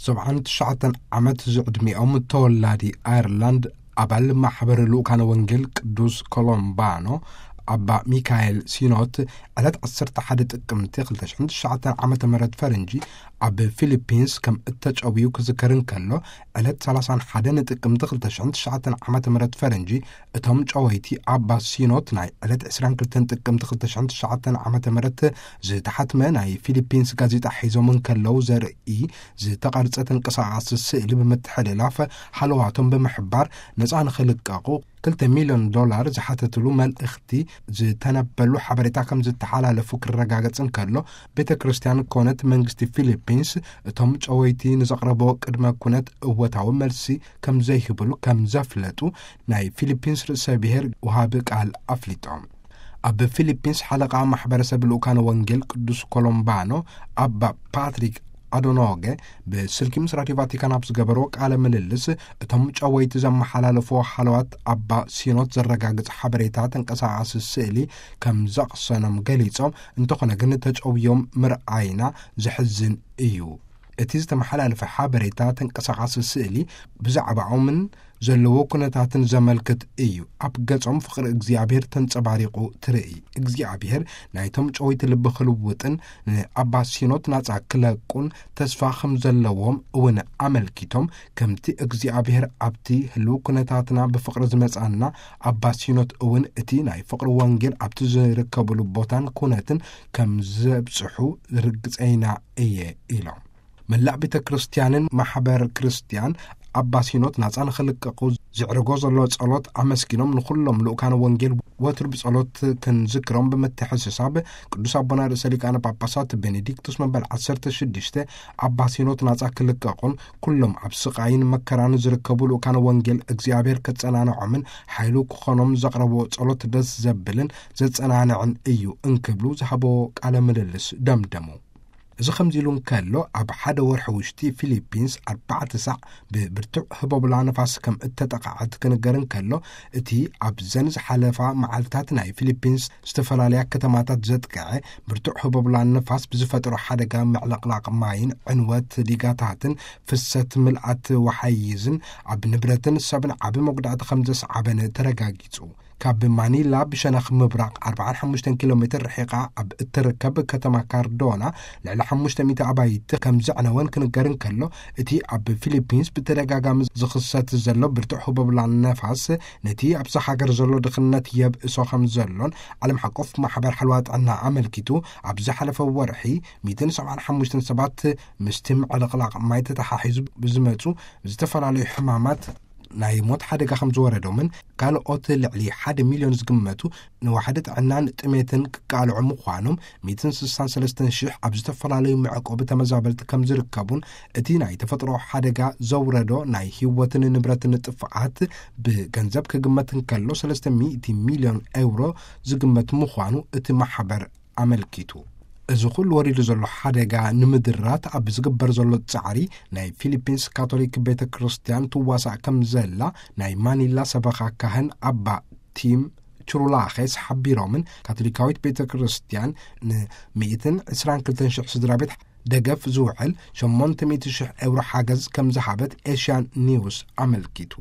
ሰብዓን ትሽዓተን ዓመት ዝዕድሚኦም ተወላዲ ኣየርላንድ፣ ኣባል ማሕበር ልኡካነ ወንጌል ቅዱስ ኮሎምባኖ፣ ኣባ ሚካኤል ሲኖት፣ ዕለት ዓሰርተ ሓደ ጥቅምቲ ክልተ ሽሕን ትሽዓተን ዓመተ ምህረት ፈረንጂ ኣብ ፊሊፒንስ ከም እተጨውዩ ክዝከር እንከሎ፣ ዕለት ሰላሳን ሓደን ጥቅምቲ ክልተ ሽሕን ትሽዓተን ዓመተ ምህረት ፈረንጂ፣ እቶም ጨወይቲ ኣባ ሲኖት ናይ ዕለት ዕስራን ክልተን ጥቅምቲ ክልተ ሽሕን ትሽዓተን ዓመተ ምህረት ዝተሓትመ ናይ ፊሊፒንስ ጋዜጣ ሒዞም እንከለዉ ዘርኢ ዝተቐርጸ ተንቀሳቓሲ ስእሊ ብምትሕልላፍ፣ ሃለዋቶም ብምሕባር ነጻ ንኽልቀቑ ክልተ ሚልዮን ዶላር ዝሓተትሉ መልእኽቲ ዝተነበሉ ሓበሬታ ከም ዝተሓላለፉ ክረጋገጽ እንከሎ፣ ቤተ ክርስቲያን ኮነት መንግስቲ ፊሊፒንስ እቶም ጨወይቲ ንዘቕረብዎ ቅድመ ኩነት እወታዊ መልሲ ከም ዘይህብሉ ከም ዘፍለጡ ናይ ፊሊፒንስ ርእሰ ብሔር ወሃቢ ቃል ኣፍሊጦም። ኣብ ፊሊፒንስ ሓለቓ ማሕበረሰብ ልኡካነ ወንጌል ቅዱስ ኮሎምባኖ ኣባ ፓትሪክ ኣዶኖገ ብስልኪ ምስ ራዲዮ ቫቲካን ኣብ ዝገበርዎ ቃለ ምልልስ፣ እቶም ጨወይቲ ዘመሓላለፍዎ ሃለዋት ኣባ ሲኖት ዘረጋግጽ ሓበሬታ ተንቀሳቓሲ ስእሊ ከም ዘቕሰኖም ገሊጾም፣ እንተኾነ ግን ተጨውዮም ምርኣይና ዘሕዝን እዩ። እቲ ዝተመሓላለፈ ሓበሬታ ተንቀሳቓሲ ስእሊ ብዛዕባኦምን ዘለዎ ኩነታትን ዘመልክት እዩ። ኣብ ገጾም ፍቕሪ እግዚኣብሔር ተንጸባሪቑ ትርኢ። እግዚኣብሔር ናይቶም ጨወይቲ ልቢ ክልውጥን ንኣባ ሲኖት ናጻ ክለቁን ተስፋ ከም ዘለዎም እውን ኣመልኪቶም፣ ከምቲ እግዚኣብሔር ኣብቲ ህልው ኩነታትና ብፍቕሪ ዝመጻና፣ ኣባ ሲኖት እውን እቲ ናይ ፍቕሪ ወንጌል ኣብቲ ዝርከብሉ ቦታን ኩነትን ከም ዘብጽሑ ርግጸይና እየ ኢሎም። መላእ ቤተ ክርስቲያንን ማሕበር ክርስቲያን ኣባ ሲኖት ናጻ ንኽልቀቑ ዝዕርጎ ዘሎ ጸሎት ኣመስጊኖም፣ ንኹሎም ልኡካነ ወንጌል ወትሩ ብጸሎት ክንዝክሮም ብምትሕስሳብ፣ ቅዱስ ኣቦና ርእሰ ሊቃነ ጳጳሳት ቤኔዲክቱስ መበል ዓሰርተ ሽዱሽተ ኣባ ሲኖት ናጻ ክልቀቑን ኩሎም ኣብ ስቓይን መከራን ዝርከቡ ልኡካነ ወንጌል እግዚኣብሔር ከጸናንዖምን ሓይሉ ክኾኖም ዘቕረብዎ ጸሎት ደስ ዘብልን ዘጸናንዕን እዩ እንክብሉ ዝሃብዎ ቃለ ምልልስ ደምደሙ። እዚ ከምዚ ኢሉ እንከሎ፣ ኣብ ሓደ ወርሒ ውሽጢ ፊሊፒንስ ኣርባዕተ ሳዕ ብብርቱዕ ህቦብላ ነፋስ ከም እተጠቕዐት ክንገር እንከሎ፣ እቲ ኣብዘን ዝሓለፋ መዓልታት ናይ ፊሊፒንስ ዝተፈላለያ ከተማታት ዘጥቅዐ ብርቱዕ ህቦብላ ነፋስ ብዝፈጠሮ ሓደጋ ምዕልቕላቕ ማይን ዕንወት ዲጋታትን ፍሰት ምልኣት ወሓይዝን ኣብ ንብረትን ሰብን ዓቢ መጉዳእቲ ከም ዘስዓበን ተረጋጊጹ። ካብ ማኒላ ብሸነኽ ምብራቕ ኣርባዓን ሓሙሽተን ኪሎ ሜትር ርሒቓ ኣብ እትርከብ ከተማ ካርዶና ልዕሊ ሓሙሽተ ሚእቲ ኣባይቲ ከም ዘዕነወን ክንገር እንከሎ፣ እቲ ኣብ ፊሊፒንስ ብተደጋጋሚ ዝኽሰት ዘሎ ብርቱዕ ህቦብላ ነፋስ ነቲ ኣብዛ ሃገር ዘሎ ድኽነት የብእሶ ከም ዘሎን ዓለም ሓቆፍ ማሕበር ሓለዋ ጥዕና ኣመልኪቱ፣ ኣብ ዝሓለፈ ወርሒ ሚእትን ሰብዓን ሓሙሽተን ሰባት ምስቲ ምዕልቕላቕ ማይ ተተሓሒዙ ብዝመጹ ዝተፈላለዩ ሕማማት ናይ ሞት ሓደጋ ከም ዝወረዶምን ካልኦት ልዕሊ ሓደ ሚልዮን ዝግመቱ ንዋሕዲ ጥዕናን ጥሜትን ክቃልዑ ምዃኖም፣ ሚእትን ስሳን ሰለስተን ሽሕ ኣብ ዝተፈላለዩ መዕቆቢ ተመዛበልቲ ከም ዝርከቡን፣ እቲ ናይ ተፈጥሮ ሓደጋ ዘውረዶ ናይ ህይወትን ንብረትን ጥፍኣት ብገንዘብ ክግመት እንከሎ፣ ሰለስተ ሚእቲ ሚልዮን ኤውሮ ዝግመት ምዃኑ እቲ ማሕበር ኣመልኪቱ። እዚ ኩሉ ወሪዱ ዘሎ ሓደጋ ንምድራት ኣብ ዝግበር ዘሎ ጻዕሪ፣ ናይ ፊሊፒንስ ካቶሊክ ቤተ ክርስቲያን ትዋሳእ ከም ዘላ ናይ ማኒላ ሰበኻ ካህን ኣባ ቲም ቹሩላኼስ ሓቢሮምን፣ ካቶሊካዊት ቤተ ክርስቲያን ን ሚእትን ዕስራን ክልተን ሽሕ ስድራ ቤት ደገፍ ዝውዕል ሸሞንተ ሚእቲ ሽሕ ኤውሮ ሓገዝ ከም ዝሃበት ኤሽያን ኒውስ ኣመልኪቱ።